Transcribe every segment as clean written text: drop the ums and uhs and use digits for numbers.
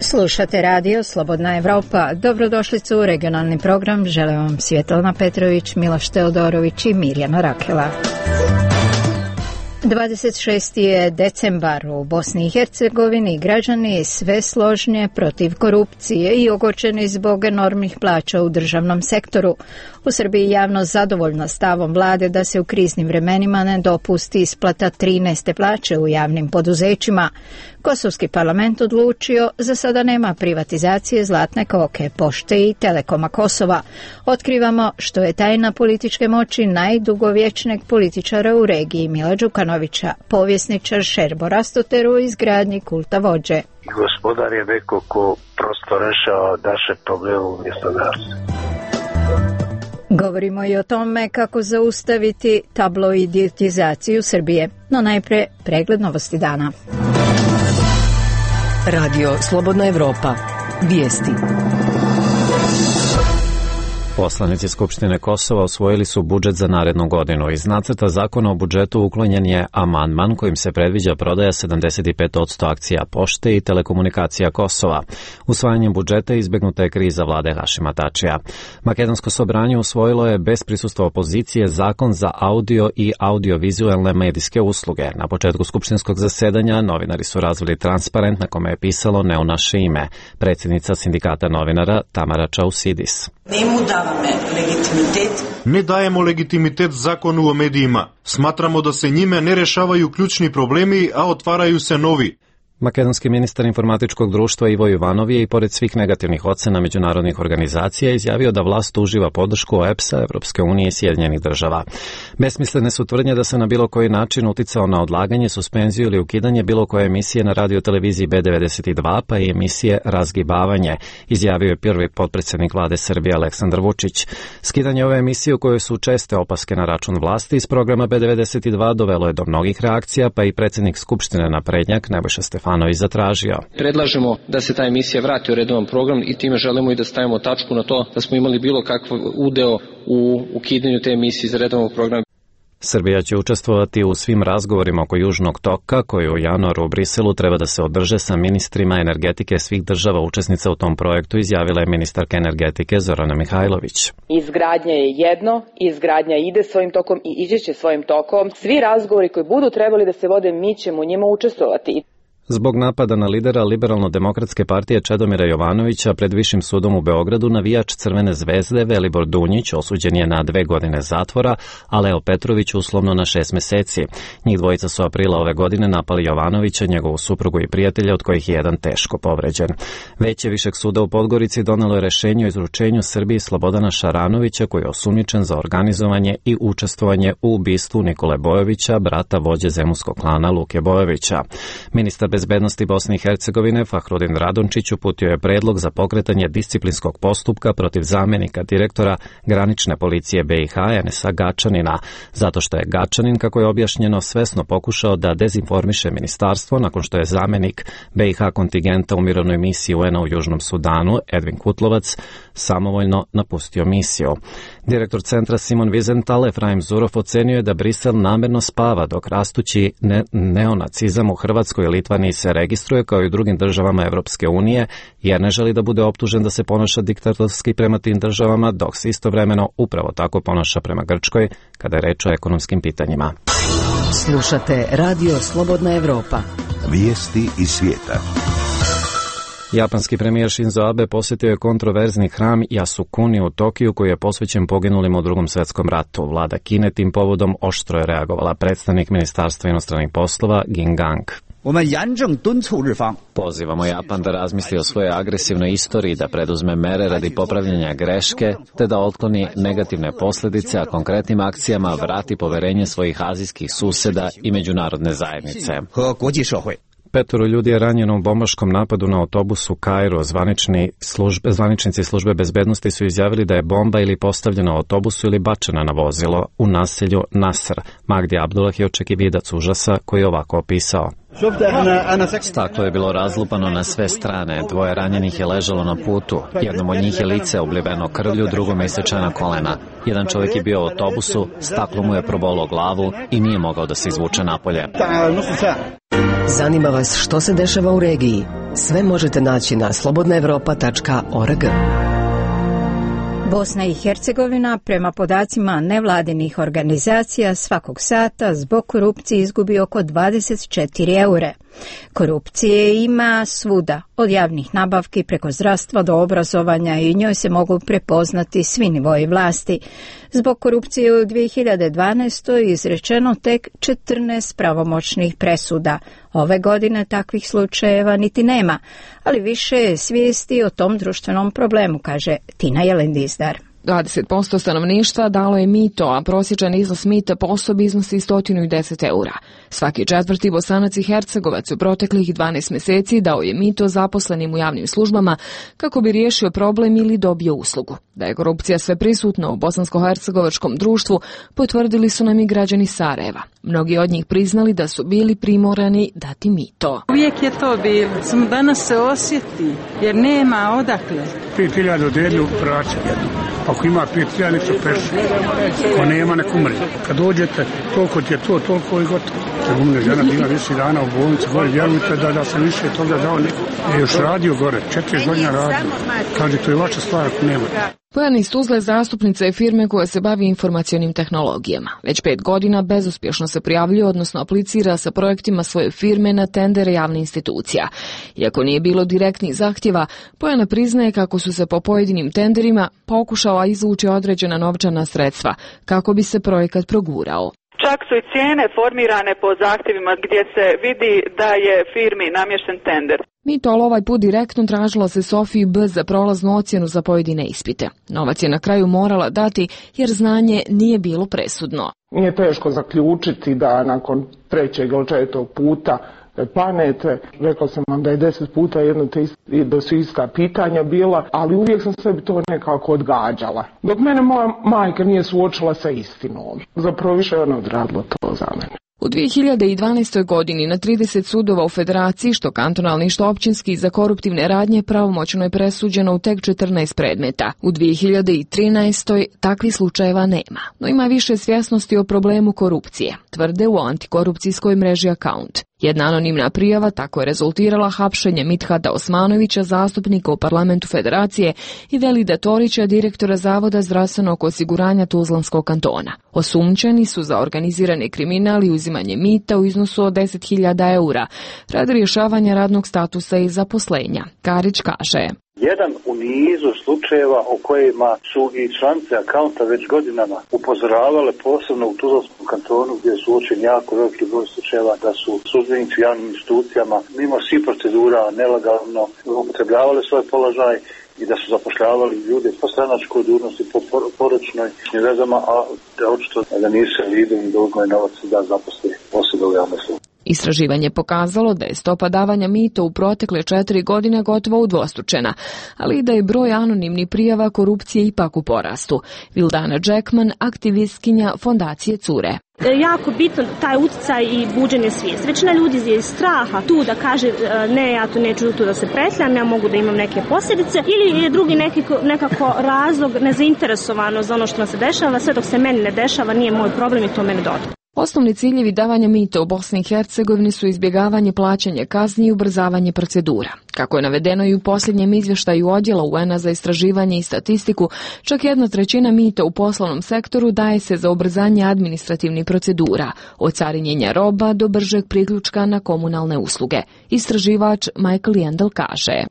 Slušate radio Slobodna Evropa. Dobrodošlicu u regionalni program. Žele vam Svjetlana Petrović, Miloš Teodorović i Mirjana Rakela. 26. je decembar. U Bosni i Hercegovini građani sve složnije protiv korupcije i ogorčeni zbog enormnih plaća u državnom sektoru. U Srbiji javnost zadovoljna stavom vlade da se u kriznim vremenima ne dopusti isplata 13. plaće u javnim poduzećima. Kosovski parlament odlučio za sada nema privatizacije Zlatne koke, Pošte i Telekoma Kosova. Otkrivamo što je tajna političke moći najdugovječnijeg političara u regiji Mila Đukanovića, povjesničar Šerbo Rastoter u izgradnji kulta vođe. Gospodar je neko ko prosto rešava naše probleme umjesto nas. Govorimo i o tome kako zaustaviti tabloidizaciju Srbije, no najpre pregled novosti dana. Radio Slobodna Evropa. Vijesti. Poslanici Skupštine Kosova usvojili su budžet za narednu godinu. Iz nacrta zakona o budžetu uklonjen je amandman kojim se predviđa prodaja 75% akcija Pošte i Telekomunikacija Kosova. Usvajanjem budžeta izbegnuta je kriza vlade Hašima Tačija. Makedonsko sobranje usvojilo je bez prisustva opozicije zakon za audio i audiovizualne medijske usluge. Na početku skupštinskog zasedanja novinari su razvili transparent na kome je pisalo ne u naše ime. Predsjednica sindikata novinara Tamara Čausidis. Ne dajemo legitimitet zakonu o medijima. Smatramo da se njime ne rešavaju ključni problemi, a otvaraju se novi. Makedonski ministar informatičkog društva Ivo Jovanov je i pored svih negativnih ocena međunarodnih organizacija izjavio da vlast uživa podršku OEBS-a, Evropske unije i Sjedinjenih država. Besmislene su tvrdnje da se na bilo koji način uticao na odlaganje, suspenziju ili ukidanje bilo koje emisije na radioteleviziji B92 pa i emisije Razgibavanje, izjavio je prvi potpredsjednik vlade Srbije Aleksandar Vučić. Skidanje ove emisije u kojoj su česte opaske na račun vlasti iz programa B92 dovelo je do mnogih reakcija, pa i predsjednik Skupštine naprednjak Nebojša Stefanović zatražio. Predlažemo da se ta emisija vrati u redovan program i time želimo i da stavimo tačku na to da smo imali bilo kakav udeo u ukidanju te emisije iz redovnog programa. Srbija će učestvovati u svim razgovorima oko Južnog toka, koji u januaru u Briselu treba da se održe sa ministrima energetike svih država učesnica u tom projektu, izjavila je ministarka energetike Zorana Mihajlović. Izgradnja je jedno, izgradnja ide svojim tokom i ići će svojim tokom. Svi razgovori koji budu trebali da se vode, mi ćemo u njima učestvovati. Zbog napada na lidera Liberalno-demokratske partije Čedomira Jovanovića pred Višim sudom u Beogradu navijač Crvene zvezde Velibor Dunjić osuđen je na 2 godine zatvora, a Leo Petrović uslovno na 6 meseci. Njih dvojica su aprila ove godine napali Jovanovića, njegovu suprugu i prijatelja, od kojih je jedan teško povređen. Veće Višeg suda u Podgorici donelo je rešenje o izručenju Srbiji Slobodana Šaranovića, koji je osumnjičen za organizovanje i učestvovanje u ubistvu Nikole Bojovića, brata vođe zemunskog klana Luke Bojovića. Ministar bezbednosti Bosne i Hercegovine Fahrudin Radončić uputio je predlog za pokretanje disciplinskog postupka protiv zamjenika direktora granične policije BiH Enesa Gačanina, zato što je Gačanin, kako je objašnjeno, svesno pokušao da dezinformiše ministarstvo nakon što je zamjenik BiH kontingenta u mirovnoj misiji UN-a u Južnom Sudanu Edvin Kutlovac samovoljno napustio misiju. Direktor centra Simon Wiesenthal Efraim Zurov ocenio je da Brisel namjerno spava dok rastući neonacizam u Hrvatskoj i Litvaniji se registruje kao i u drugim državama Evropske unije, jer ne želi da bude optužen da se ponaša diktatorski prema tim državama, dok se istovremeno upravo tako ponaša prema Grčkoj kada je reč o ekonomskim pitanjima. Slušate Radio Slobodna Evropa. Vijesti iz svijeta. Japanski premijer Shinzo Abe posjetio je kontroverzni hram Yasukuni u Tokiju koji je posvećen poginulima u Drugom svjetskom ratu. Vlada Kine tim povodom oštro je reagovala. Predstavnik Ministarstva inostranih poslova Ging Gang. Pozivamo Japan da razmisli o svojoj agresivnoj istoriji, da preduzme mere radi popravljanja greške, te da otkloni negativne posljedice, a konkretnim akcijama vrati poverenje svojih azijskih susjeda i međunarodne zajednice. 5 ljudi je ranjeno u bombaškom napadu na autobus u Kairu. Zvaničnici službe bezbednosti su izjavili da je bomba ili postavljena u autobusu ili bačena na vozilo u naselju Nasr. Magdi Abdullah je očekividac užasa koji je ovako opisao. Staklo je bilo razlupano na sve strane, dvoje ranjenih je ležalo na putu, jednom od njih je lice obliveno krvlju, drugome isečena kolena. Jedan čovjek je bio u autobusu, staklo mu je probolo glavu i nije mogao da se izvuče napolje. Zanima vas što se dešava u regiji? Sve možete naći na slobodnaevropa.org. Bosna i Hercegovina, prema podacima nevladinih organizacija, svakog sata zbog korupcije izgubi oko 24 eure. Korupcije ima svuda, od javnih nabavki preko zdravstva do obrazovanja i njoj se mogu prepoznati svi nivoji vlasti. Zbog korupcije u 2012. izrečeno tek 14 pravomoćnih presuda. Ove godine takvih slučajeva niti nema, ali više je svijesti o tom društvenom problemu, kaže Tina Jelendizdar. 20% stanovništva dalo je mito, a prosječan iznos mita po osobi iznosi 110 eura. Svaki četvrti Bosanac i Hercegovac u proteklih 12 mjeseci dao je mito zaposlenim u javnim službama kako bi riješio problem ili dobio uslugu. Da je korupcija sve prisutna u bosansko-hercegovačkom društvu, potvrdili su nam i građani Sarajeva. Mnogi od njih priznali da su bili primorani dati mito. Uvijek je to bilo, samo danas se osjeti, jer nema odakle. 5.000 delju vraća jednu. Ako ima 5.000, nek se peši. Ako nema, nek umri. Kad dođete, toliko ti je to, toliko i gotovo. Umne žena bila 10 dana u bolnici, gore, vjerujte da sam više toga dao neko. Je još radio gore, 4 godina radio. Kaže, to je vaša stvar ako nema. Bojana iz Tuzle zastupnica je firme koja se bavi informacionim tehnologijama. Već 5 godina bezuspješno se prijavljuje, odnosno aplicira sa projektima svoje firme na tendere javnih institucija. Iako nije bilo direktnih zahtjeva, Bojana priznaje kako su se po pojedinim tenderima pokušala izvući određena novčana sredstva kako bi se projekat progurao. Čak su i cijene formirane po zahtjevima gdje se vidi da je firmi namješten tender. Mito ovaj put direktno tražila se Sofiji B za prolaznu ocjenu za pojedine ispite. Novac je na kraju morala dati jer znanje nije bilo presudno. Nije teško zaključiti da nakon 3. ili 4. puta planete, rekao sam vam da je 10 puta da su ista pitanja bila, ali uvijek sam sebi to nekako odgađala. Dok mene moja majka nije suočila sa istinom. Zapravo više ona odradila to za mene. U 2012. godini na 30 sudova u Federaciji, što kantonalni što općinski, za koruptivne radnje pravomoćno je presuđeno u tek 14 predmeta. U 2013. takvih slučajeva nema, no ima više svjesnosti o problemu korupcije, tvrde u antikorupcijskoj mreži Account. Jedna anonimna prijava tako je rezultirala hapšenjem Mithata Osmanovića, zastupnika u parlamentu Federacije, i Velida Torića, direktora Zavoda zdravstvenog osiguranja Tuzlanskog kantona. Osumnjičeni su za organizirani kriminal i uzimanje mita u iznosu od 10.000 eura radi rješavanja radnog statusa i zaposlenja. Karić kaže: jedan u nizu slučajeva o kojima su i članice Accounta već godinama upozoravale, posebno u Tuzlanskom kantonu gdje su uočeni jako veliki broj slučajeva da su službenici u javnim institucijama mimo svih procedura nelegalno upotrebljavali svoj položaj i da su zapošljavali ljude po stranačkoj dužnosti, po poročnoj vezama, a da očito da nisu vidjeli dovoljno novac da zaposli osobe u javnoj službi. Istraživanje pokazalo da je stopa davanja mita u protekle 4 godine gotovo udvostručena, ali i da je broj anonimnih prijava korupcije ipak u porastu. Vildana Jackman, aktivistkinja fondacije Cure. Jako bitno taj utjecaj i buđenje svijesti. Većina ljudi je iz straha tu da kaže ne, ja tu neću tu da se pretljam, ja mogu da imam neke posljedice, ili je drugi nekako razlog nezainteresovano za ono što nam se dešava, sve dok se meni ne dešava nije moj problem i to mene dotakne. Osnovni ciljevi davanja mita u Bosni i Hercegovini su izbjegavanje plaćanja kazni i ubrzavanje procedura. Kako je navedeno i u posljednjem izvještaju Odjela UN-a za istraživanje i statistiku, čak 1/3 mita u poslovnom sektoru daje se za ubrzanje administrativnih procedura, od carinjenja roba do bržeg priključka na komunalne usluge. Istraživač Michael Yandel kaže: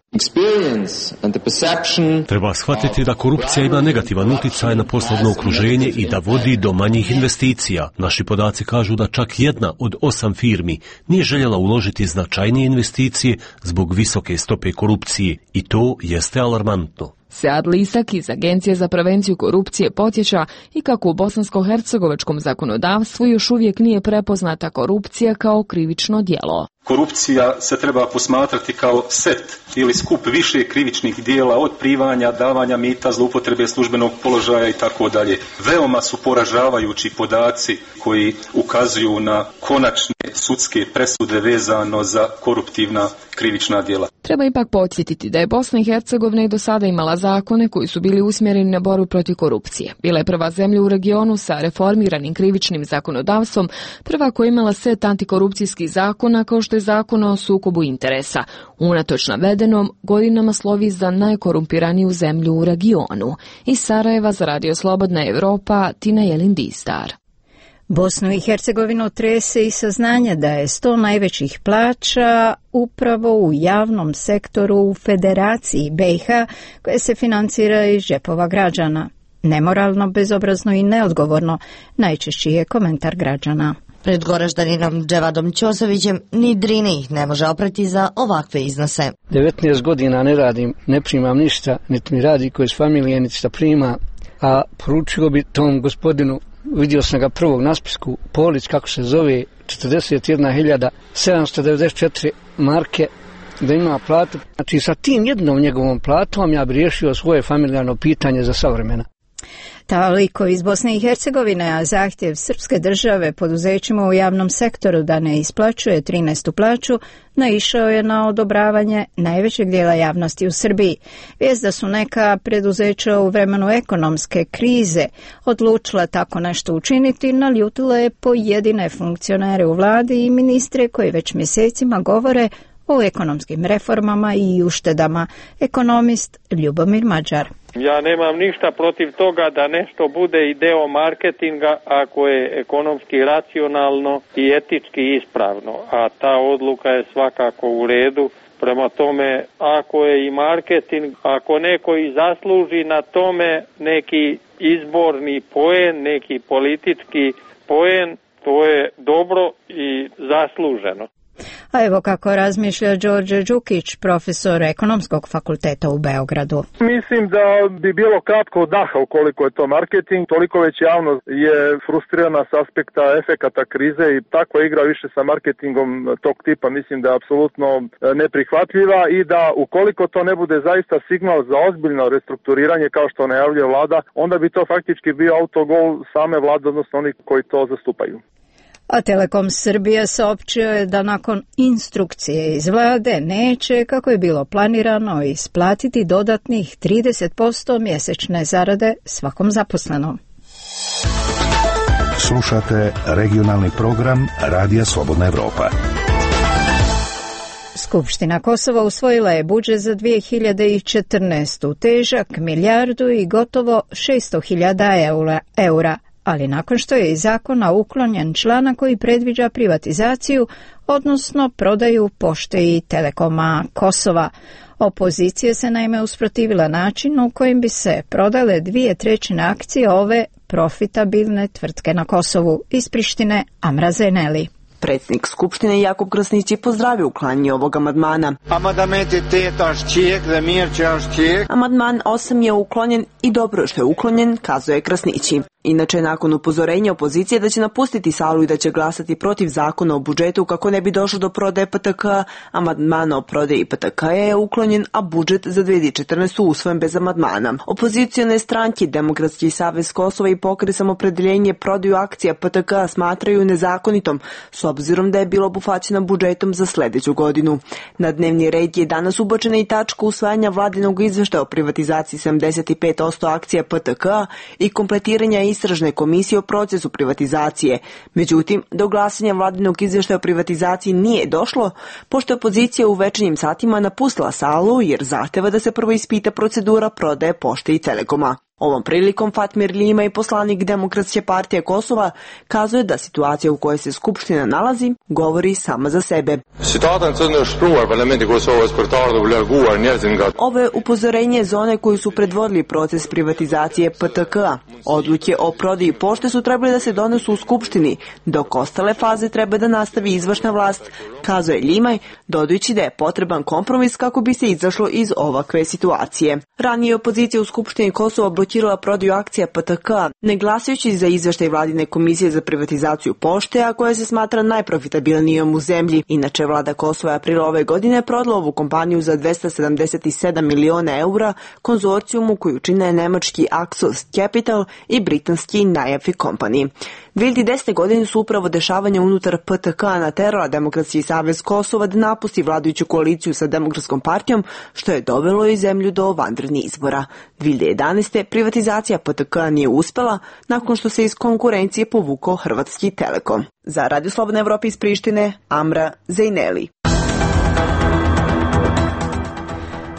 treba shvatiti da korupcija ima negativan utjecaj na poslovno okruženje i da vodi do manjih investicija. Naši podaci kažu da čak 1 od 8 firmi nije željela uložiti značajnije investicije zbog visoke stope korupcije i to jeste alarmantno. Sead Lisak iz Agencije za prevenciju korupcije podsjeća i kako u bosansko-hercegovačkom zakonodavstvu još uvijek nije prepoznata korupcija kao krivično djelo. Korupcija se treba posmatrati kao set ili skup više krivičnih dijela, od primanja, davanja mita, zloupotrebe službenog položaja i tako dalje. Veoma su poražavajući podaci koji ukazuju na konačne sudske presude vezano za koruptivna krivična djela. Treba ipak podsjetiti da je Bosna i Hercegovina i do sada imala zakone koji su bili usmjereni na borbu protiv korupcije. Bila je prva zemlja u regionu sa reformiranim krivičnim zakonodavstvom, prva koja je imala set antikorupcijskih zakona kao što je zakon o sukobu interesa. Unatoč navedenom, godinama slovi za najkorumpiraniju zemlju u regionu. Iz Sarajeva za Radio Slobodna Evropa, Tina Jelin-Distar. Bosnu i Hercegovinu trese i saznanje da je 100 najvećih plaća upravo u javnom sektoru u Federaciji BiH koje se financira iz džepova građana. Nemoralno, bezobrazno i neodgovorno, najčešći je komentar građana. Pred Goraždaninom Dževadom Ćosovićem ni Drini ih ne može oprati za ovakve iznose. 19 godina ne radim, ne primam ništa, niti mi radi koji iz familije, niti šta prima, a poručio bi tom gospodinu, vidio sam ga prvog na spisku, Polić kako se zove, 41.794 marke, da ima platu. Znači sa tim jednom njegovom platom ja bi riješio svoje familijarno pitanje za savremena. Toliko iz Bosne i Hercegovine, a zahtjev srpske države poduzećima u javnom sektoru da ne isplaćuje 13. plaću naišao je na odobravanje najvećeg dijela javnosti u Srbiji. Vijest da su neka preduzeća u vremenu ekonomske krize odlučila tako nešto učiniti naljutila je pojedine funkcionere u vladi i ministre koji već mjesecima govore o ekonomskim reformama i uštedama. Ekonomist Ljubomir Mađar. Ja nemam ništa protiv toga da nešto bude i deo marketinga ako je ekonomski racionalno i etički ispravno, a ta odluka je svakako u redu. Prema tome, ako je i marketing, ako neko i zasluži na tome neki izborni poen, neki politički poen, to je dobro i zasluženo. A evo kako razmišlja Đorđe Đukić, profesor Ekonomskog fakulteta u Beogradu. Mislim da bi bilo kratko daha ukoliko je to marketing, toliko već javnost je frustrirana s aspekta efekata krize i takva igra više sa marketingom tog tipa mislim da je apsolutno neprihvatljiva i da ukoliko to ne bude zaista signal za ozbiljno restrukturiranje kao što najavljuje vlada, onda bi to faktički bio autogol same vlade, odnosno oni koji to zastupaju. A Telekom Srbije saopćio je da nakon instrukcije iz vlade neće, kako je bilo planirano, isplatiti dodatnih 30% mjesečne zarade svakom zaposlenom. Slušate regionalni program Radija Slobodna Evropa. Skupština Kosova usvojila je budžet za 2014. težak milijardu i gotovo 600.000 eura. Ali nakon što je iz zakona uklonjen članak koji predviđa privatizaciju, odnosno prodaju Pošte i Telekoma Kosova. Opozicija se naime usprotivila načinu u kojim bi se prodale 2/3 akcije ove profitabilne tvrtke na Kosovu. Iz Prištine Amra Zeneli. Predsjednik Skupštine Jakub Krasnić je pozdravio uklanjanje ovog amandmana. Amandman 8 je uklonjen i dobro što je uklonjen, kazuje Krasnići. Inače, nakon upozorenja opozicije da će napustiti salu i da će glasati protiv zakona o budžetu kako ne bi došlo do prodaje PTK, amandman o prodaji PTK je uklonjen, a budžet za 2014. usvojen bez amandmana. Opozicione stranke, Demokratski savez Kosova i Pokret Samoopredjeljenje prodaju akcija PTK smatraju nezakonitom, s obzirom da je bilo obuhvaćena budžetom za sljedeću godinu. Na dnevni red je danas ubačena i tačka usvajanja vladinog izveštaja o privatizaciji 75% akcija PTK i kompletiranja istražne komisije o procesu privatizacije. Međutim, do glasanja vladinog izvještaja o privatizaciji nije došlo, pošto je opozicija u večernjim satima napustila salu jer zahteva da se prvo ispita procedura prodaje Pošte i Telekoma. Ovom prilikom Fatmir Lima i poslanik Demokratske partije Kosova kazuje da situacija u kojoj se Skupština nalazi govori sama za sebe. Ovo je upozorenje za one koji su predvodili proces privatizacije PTK-a. Odluke o prodaji Pošte su trebali da se donesu u Skupštini, dok ostale faze treba da nastavi izvršna vlast, kazuje Limaj, dodajući da je potreban kompromis kako bi se izašlo iz ovakve situacije. Ranije opozicija u Skupštini Kosova zablokirala prodaju akcija PTK, ne glasajući za izveštaj vladine komisije za privatizaciju pošte, a koja se smatra najprofitabilnijom u zemlji. Inače, vlada Kosova je aprila ove godine prodala ovu kompaniju za 277 miliona eura konzorcijumu koju čine nemački Axos Capital i britanski Najafi Company. 2010. godine su upravo dešavanja unutar PTK naterala Demokratski savez Kosova da napusti vladajuću koaliciju sa Demokratskom partijom, što je dovelo i zemlju do vanrednih izbora. 2011. privatizacija PTK nije uspela nakon što se iz konkurencije povukao Hrvatski Telekom. Za Radio Slobodna Evropa iz Prištine, Amra Zejneli.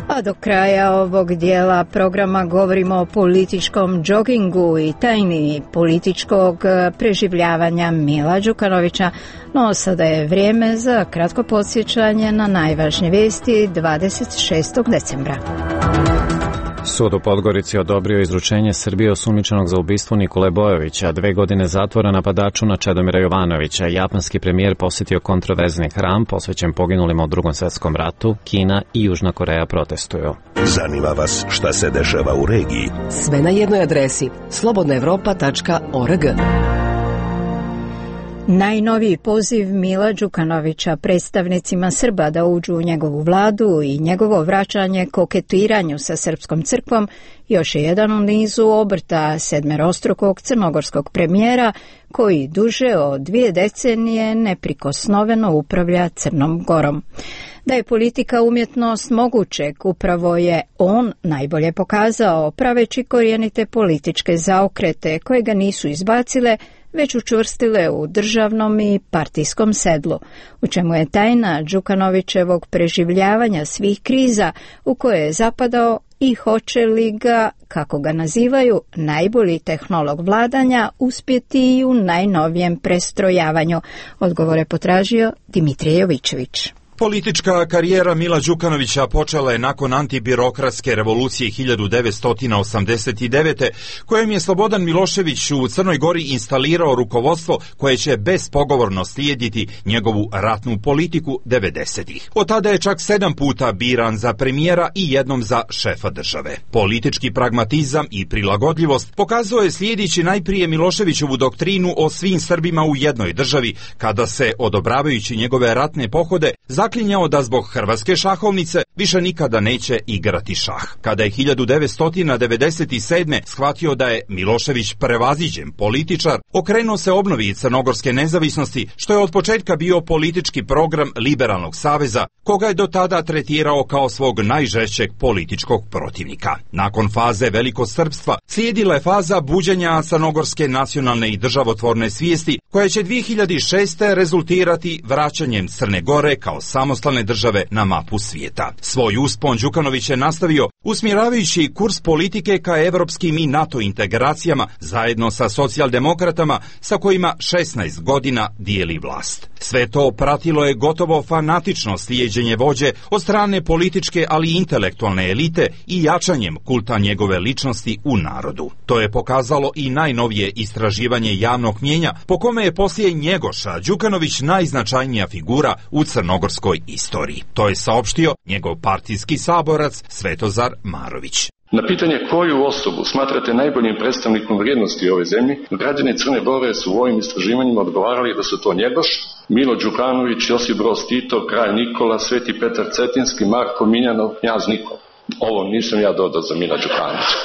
A do kraja ovog dijela programa govorimo o političkom džogingu i tajni političkog preživljavanja Mila Đukanovića, no sada je vrijeme za kratko podsjećanje na najvažnije vijesti 26. decembra. Sud u Podgorici odobrio izručenje Srbije osumnjičenog za ubistvo Nikole Bojovića, 2 godine zatvora napadaču na Čedomira Jovanovića. Japanski premijer posjetio kontroverzni hram posvećen poginulima u Drugom svjetskom ratu. Kina i Južna Koreja protestuju. Zanima vas šta se dešava u regiji? Sve na jednoj adresi slobodnaevropa.org. Najnoviji poziv Mila Đukanovića predstavnicima Srba da uđu u njegovu vladu i njegovo vraćanje koketiranju sa srpskom crkvom još je jedan u nizu obrta sedmerostrukog crnogorskog premijera koji duže od 2 decenije neprikosnoveno upravlja Crnom Gorom. Da je politika umjetnost mogućeg, upravo je on najbolje pokazao praveći korijenite političke zaokrete koje ga nisu izbacile, već učvrstile u državnom i partijskom sedlu, u čemu je tajna Đukanovićevog preživljavanja svih kriza u koje je zapadao i hoće li ga, kako ga nazivaju, najbolji tehnolog vladanja uspjeti i u najnovijem prestrojavanju. Odgovore potražio Dimitrije Jovićević. Politička karijera Mila Đukanovića počela je nakon antibirokratske revolucije 1989. kojom je Slobodan Milošević u Crnoj Gori instalirao rukovodstvo koje će bespogovorno slijediti njegovu ratnu politiku 90-ih. Od tada je čak 7 puta biran za premijera i jednom za šefa države. Politički pragmatizam i prilagodljivost pokazao je slijedeći najprije Miloševićevu doktrinu o svim Srbima u jednoj državi, kada se, odobravajući njegove ratne pohode, zaklinjao da zbog hrvatske šahovnice više nikada neće igrati šah. Kada je 1997. shvatio da je Milošević prevaziđen političar, okrenuo se obnovi crnogorske nezavisnosti, što je od početka bio politički program Liberalnog saveza, koga je do tada tretirao kao svog najžešćeg političkog protivnika. Nakon faze velikosrpstva slijedila je faza buđenja crnogorske nacionalne i državotvorne svijesti, koja će 2006. rezultirati vraćanjem Crne Gore kao samostalne države na mapu svijeta. Svoj uspon Đukanović je nastavio usmjeravajući kurs politike ka evropskim i NATO integracijama zajedno sa socijaldemokratama sa kojima 16 godina dijeli vlast. Sve to pratilo je gotovo fanatično slijeđenje vođe od strane političke ali i intelektualne elite i jačanjem kulta njegove ličnosti u narodu. To je pokazalo i najnovije istraživanje javnog mnijenja po kome je poslije Njegoša Đukanović najznačajnija figura u crnogorskoj istoriji. To je saopštio njegov partijski saborac Svetozar Marović. Na pitanje koju osobu smatrate najboljim predstavnikom vrijednosti ove zemlje, građani Crne Gore su u ovim istraživanjima odgovarali da su to Njegoš, Milo Đukanović, Josip Broz Tito, Kralj Nikola, Sveti Petar Cetinski, Marko Miljanov, Knjaz Nikola. Ovo nisam ja dodao za Mila Đukanovića.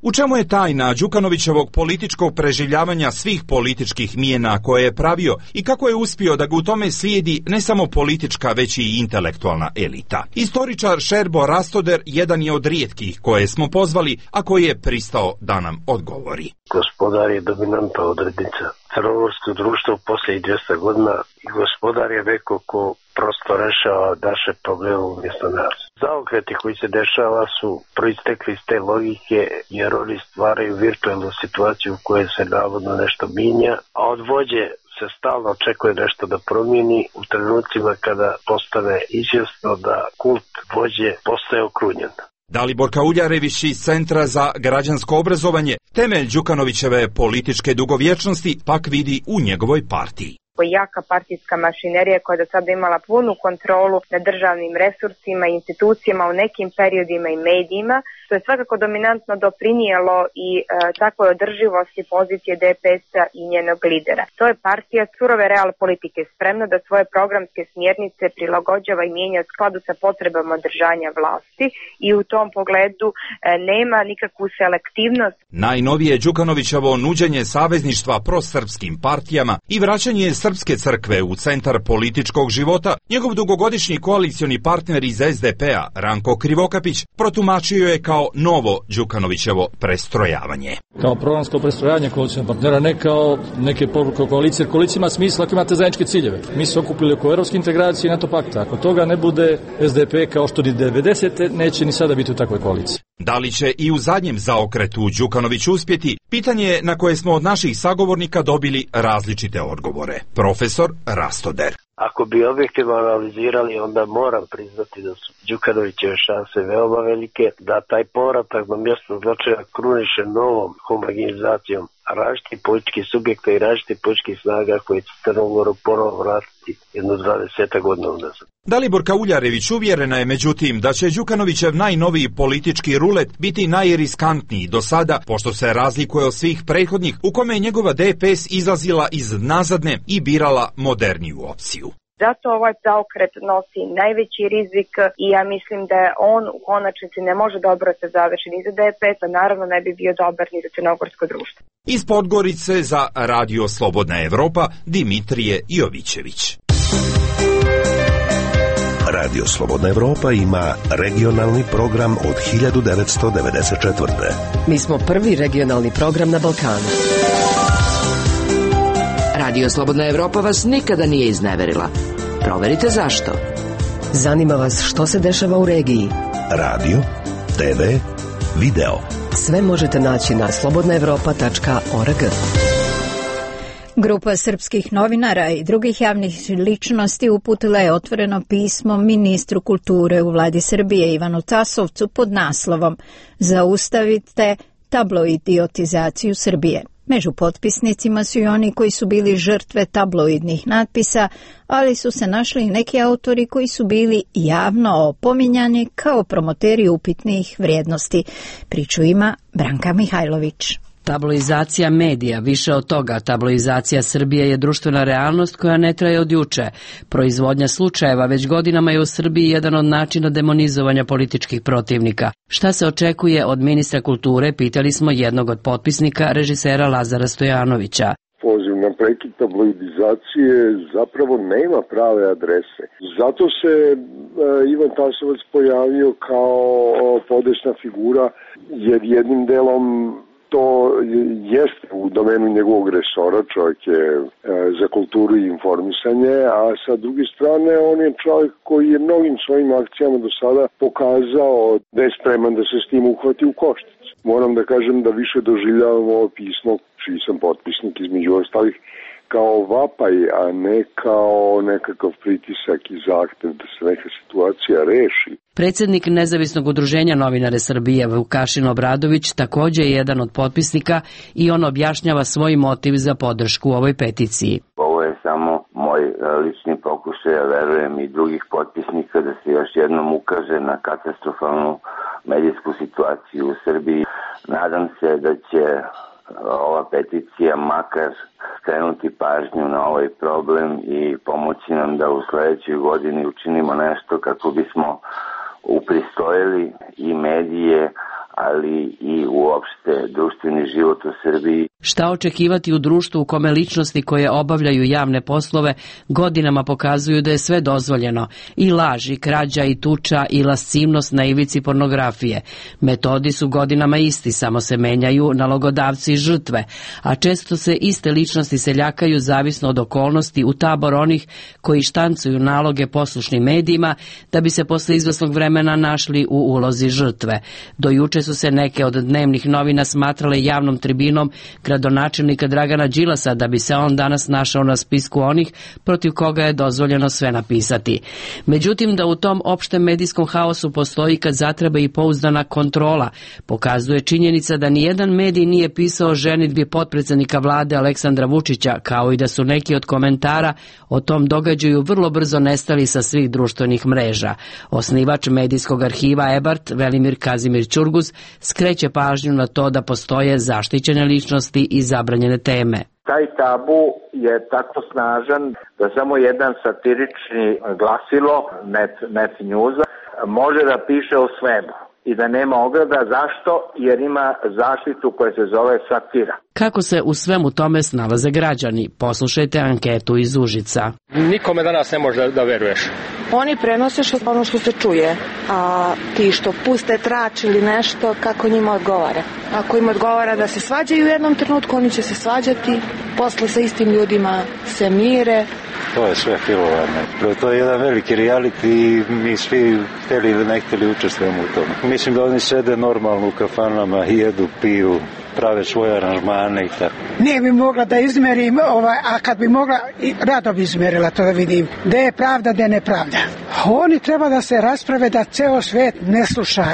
U čemu je tajna Đukanovićevog političkog preživljavanja svih političkih mijena koje je pravio i kako je uspio da ga u tome slijedi ne samo politička, već i intelektualna elita? Istoričar Šerbo Rastoder jedan je od rijetkih koje smo pozvali, a koji je pristao da nam odgovori. Gospodar je dominanta odrednica. Crnogorsko društvo poslije 200 godina i gospodar je neko ko prosto rešava naše probleme umjesto nas. Zaokreti koji se dešava su proistekli iz te logike, jer oni stvaraju virtualnu situaciju u kojoj se navodno nešto minja, a od vođe se stalno očekuje nešto da promijeni u trenucima kada postane izvjesno da kult vođe postaje okrunjen. Dalibor Kauljarević iz Centra za građansko obrazovanje temelj Đukanovićeve političke dugovječnosti pak vidi u njegovoj partiji. jako jaka partijska mašinerija koja je do sada imala punu kontrolu nad državnim resursima i institucijama u nekim periodima i medijima, što je svakako dominantno doprinijelo i takvoj održivosti pozicije DPS-a i njenog lidera. To je partija surove real politike, spremna da svoje programske smjernice prilagođava i mijenja u skladu sa potrebama održanja vlasti i u tom pogledu nema nikakvu selektivnost. Najnovije Đukanovićevo nuđenje savezništva prosrpskim partijama i vraćanje Srpske crkve u centar političkog života, njegov dugogodišnji koalicioni partner iz SDP-a, Ranko Krivokapić, protumačio je kao novo Đukanovićevo prestrojavanje. Kao programsko prestrojavanje koalicijnog partnera, ne kao neke poruke koalicije. Koalicija ima smisla ako imate zajedničke ciljeve. Mi se okupili oko evropske integracije i NATO pakta. Ako toga ne bude, SDP kao što ni 90. neće ni sada biti u takvoj koaliciji. Da li će i u zadnjem zaokretu Đukanović uspjeti? Pitanje je na koje smo od naših sagovornika dobili različite odgovore. Profesor Rastoder. Ako bi objektivno analizirali, onda moram priznati da su Đukanovićeve šanse veoma velike, da taj povratak na mjesto zločina kruniše novom homogenizacijom različitih političkih subjekta i različitih političkih snaga koje će Crnogoru ponovo vratiti jedno 20 godina unazad. Daliborka Uljarević uvjerena je međutim da će Đukanovićev najnoviji politički rulet biti najriskantniji do sada, pošto se razlikuje od svih prethodnih u kome je njegova DPS izlazila iz nazadne i birala moderniju opciju. Zato ovaj zaokret nosi najveći rizik i ja mislim da on u konačnici ne može dobro se završiti ni za DPS, a naravno ne bi bio dobar ni za crnogorsko društvo. Iz Podgorice za Radio Slobodna Evropa, Dimitrije Jovićević. Radio Slobodna Evropa ima regionalni program od 1994. Mi smo prvi regionalni program na Balkanu. Radio Slobodna Evropa vas nikada nije izneverila. Proverite zašto. Zanima vas što se dešava u regiji. Radio, TV, video. Sve možete naći na slobodnaevropa.org. Grupa srpskih novinara i drugih javnih ličnosti uputila je otvoreno pismo ministru kulture u vladi Srbije Ivanu Tasovcu pod naslovom Zaustavite tabloidiotizaciju Srbije. Među potpisnicima su i oni koji su bili žrtve tabloidnih natpisa, ali su se našli i neki autori koji su bili javno opominjani kao promoteri upitnih vrijednosti. Priču ima Branka Mihajlović. Tabloizacija medija, više od toga, tabloizacija Srbije je društvena realnost koja ne traje od juče. Proizvodnja slučajeva već godinama je u Srbiji jedan od načina demonizovanja političkih protivnika. Šta se očekuje od ministra kulture, pitali smo jednog od potpisnika, režisera Lazara Stojanovića. Poziv na prekid tabloidizacije zapravo nema prave adrese. Zato se Ivan Tasovac pojavio kao podesna figura, jer jednim delom to jeste u domenu njegovog resora, čovjek je za kulturu i informisanje, a sa druge strane on je čovjek koji je mnogim svojim akcijama do sada pokazao da je spreman da se s tim uhvati u koštac. Moram da kažem da više doživljavam ovo pismo, čiji sam potpisnik između ostalih, kao vapaj, a ne kao nekakav pritisak i zahtev da se neka situacija reši. Predsjednik Nezavisnog udruženja novinare Srbije Vukašin Obradović također je jedan od potpisnika i on objašnjava svoj motiv za podršku ovoj peticiji. Ovo je samo moj lični pokušaj, ja verujem i drugih potpisnika da se još jednom ukaže na katastrofalnu medijsku situaciju u Srbiji. Nadam se da će ova peticija makar skrenuti pažnju na ovaj problem i pomoći nam da u sljedećoj godini učinimo nešto kako bismo upristojili i medije, ali i uopšte društveni život u Srbiji. Šta očekivati u društvu u kome ličnosti koje obavljaju javne poslove godinama pokazuju da je sve dozvoljeno, i laž, i krađa, i tuča, i lascivnost na ivici pornografije. Metodi su godinama isti, samo se menjaju nalogodavci i žrtve, a često se iste ličnosti seljakaju zavisno od okolnosti u tabor onih koji štancuju naloge poslušnim medijima da bi se posle izvesnog vremena našli u ulozi žrtve. Do juče Juče su se neke od dnevnih novina smatrale javnom tribinom gradonačelnika Dragana Đilasa, da bi se on danas našao na spisku onih protiv koga je dozvoljeno sve napisati. Međutim, da u tom opštem medijskom haosu postoji kad zatreba i pouzdana kontrola, pokazuje činjenica da nijedan medij nije pisao o ženidbi potpredsednika vlade Aleksandra Vučića, kao i da su neki od komentara o tom događaju vrlo brzo nestali sa svih društvenih mreža. Osnivač medijskog arhiva EBART, Velimir Kazimir Ćurguz, skreće pažnju na to da postoje zaštićene ličnosti i zabranjene teme. Taj tabu je tako snažan da samo jedan satirični glasilo, Net Newsa, može da piše o svemu i da nema ograda. Zašto? Jer ima zaštitu koja se zove satira. Kako se u svemu tome snalaze građani? Poslušajte anketu iz Užica. Nikome danas ne može da veruješ. Oni prenose ono što se čuje, a ti što puste trač ili nešto, kako njima odgovara. Ako im odgovara da se svađaju u jednom trenutku, oni će se svađati, posle sa istim ljudima se mire. To je sve filovano. To je jedan veliki reality i mi svi hteli ili ne hteli učestvujemo u tome. Mislim da oni sede normalno u kafanama, jedu, piju, prave svoje aranžmane i tako. Nije bi mogla da izmerim, a kad bi mogla, rado bi izmerila to da vidim. Gde je pravda, gde je nepravda. Oni treba da se rasprave da ceo svet ne sluša,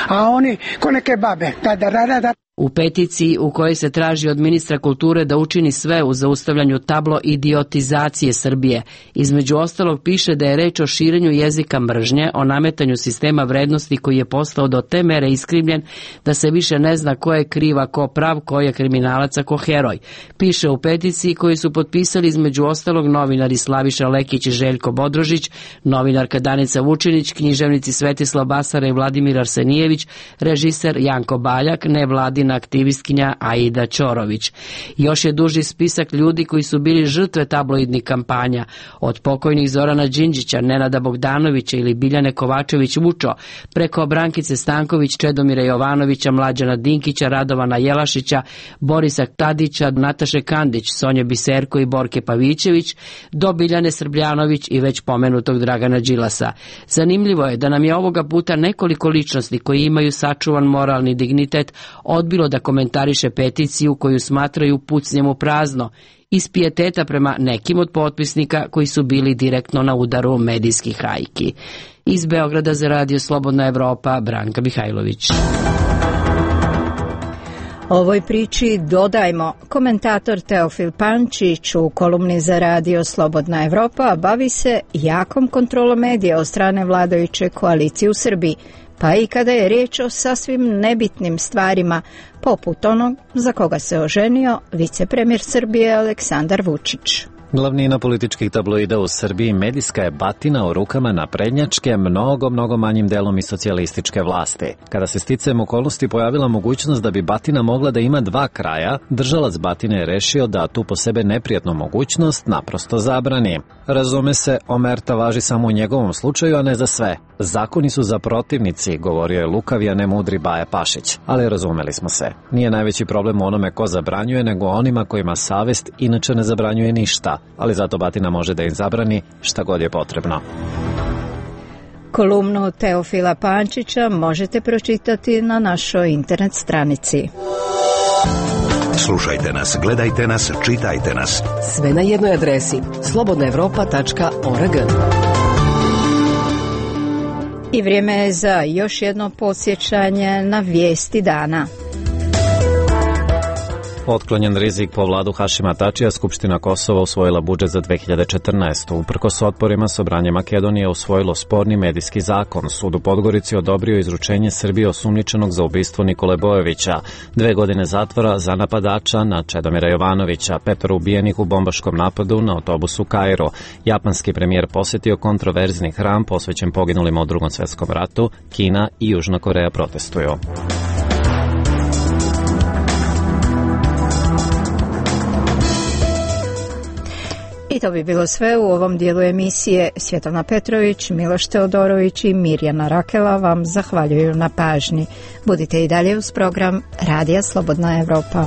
a oni ko neke babe. Da. U peticiji u kojoj se traži od ministra kulture da učini sve u zaustavljanju tablo idiotizacije Srbije, između ostalog piše da je reč o širenju jezika mržnje, o nametanju sistema vrednosti koji je postao do te mere iskrivljen da se više ne zna ko je kriva, ko prav, ko je kriminalac, a ko heroj. Piše u peticiji koju su potpisali između ostalog novinari Slaviša Lekić i Željko Bodrožić, novinarka Danica Vučinić, književnici Svetislav Basara i Vladimir Arsenijević, režiser Janko Baljak, nevladina aktivistkinja Aida Ćorović. Još je duži spisak ljudi koji su bili žrtve tabloidnih kampanja, od pokojnih Zorana Đinđića, Nenada Bogdanovića ili Biljane Kovačević-Vučo, preko Brankice Stanković, Čedomira Jovanovića, Mlađana Dinkića, Radovana Jelašića, Borisa Tadića, Nataše Kandić, Sonje Biserko i Borke Pavićević, do Biljane Srbljanović i već pomenutog Dragana Đilasa. Zanimljivo je da nam je ovoga puta nekoliko ličnosti koji imaju sačuvan moralni dignitet odbilo da komentariše peticiju koju smatraju pucnjem u prazno, iz pijeteta prema nekim od potpisnika koji su bili direktno na udaru medijskih hajki. Iz Beograda za Radio Slobodna Evropa, Branka Mihajlović. Ovoj priči dodajmo, komentator Teofil Pančić u kolumni za Radio Slobodna Evropa bavi se jakom kontrolom medija od strane vladajuće koalicije u Srbiji, pa i kada je riječ o sasvim nebitnim stvarima, poput onog za koga se oženio vicepremjer Srbije Aleksandar Vučić. Glavnina političkih tabloida u Srbiji medijska je batina u rukama naprednjačke, mnogo manjim delom i socijalističke vlasti. Kada se sticajem okolnosti pojavila mogućnost da bi batina mogla da ima dva kraja, držalac batine je rešio da tu po sebe neprijatnu mogućnost naprosto zabrani. Razume se, omerta važi samo u njegovom slučaju, a ne za sve. Zakoni su za protivnici, govorio je lukavi, a ne mudri Baja Pašić. Ali razumeli smo se. Nije najveći problem u onome ko zabranjuje, nego onima kojima savest inače ne zabranjuje ništa. Ali zato batina može da im zabrani šta god je potrebno. Kolumnu Teofila Pančića možete pročitati na našoj internet stranici. Slušajte nas, gledajte nas, čitajte nas. Sve na jednoj adresi slobodnaevropa.org. I vrijeme je za još jedno podsjećanje na vijesti dana. Otklonjen rizik po vladu Hašima Tačija, Skupština Kosova usvojila budžet za 2014. Uprkos otporima, Sobranje Makedonije usvojilo sporni medijski zakon. Sud u Podgorici odobrio izručenje Srbije osumnjičenog za ubistvo Nikole Bojovića, 2 godine zatvora za napadača na Čedomira Jovanovića, 5 ubijenih u bombaškom napadu na autobusu Kairu. Japanski premijer posjetio kontroverzni hram posvećen poginulima u Drugom svjetskom ratu. Kina i Južna Koreja protestuju. I to bi bilo sve u ovom dijelu emisije. Svjetlana Petrović, Miloš Teodorović i Mirjana Rakela vam zahvaljuju na pažnji. Budite i dalje uz program Radija Slobodna Evropa.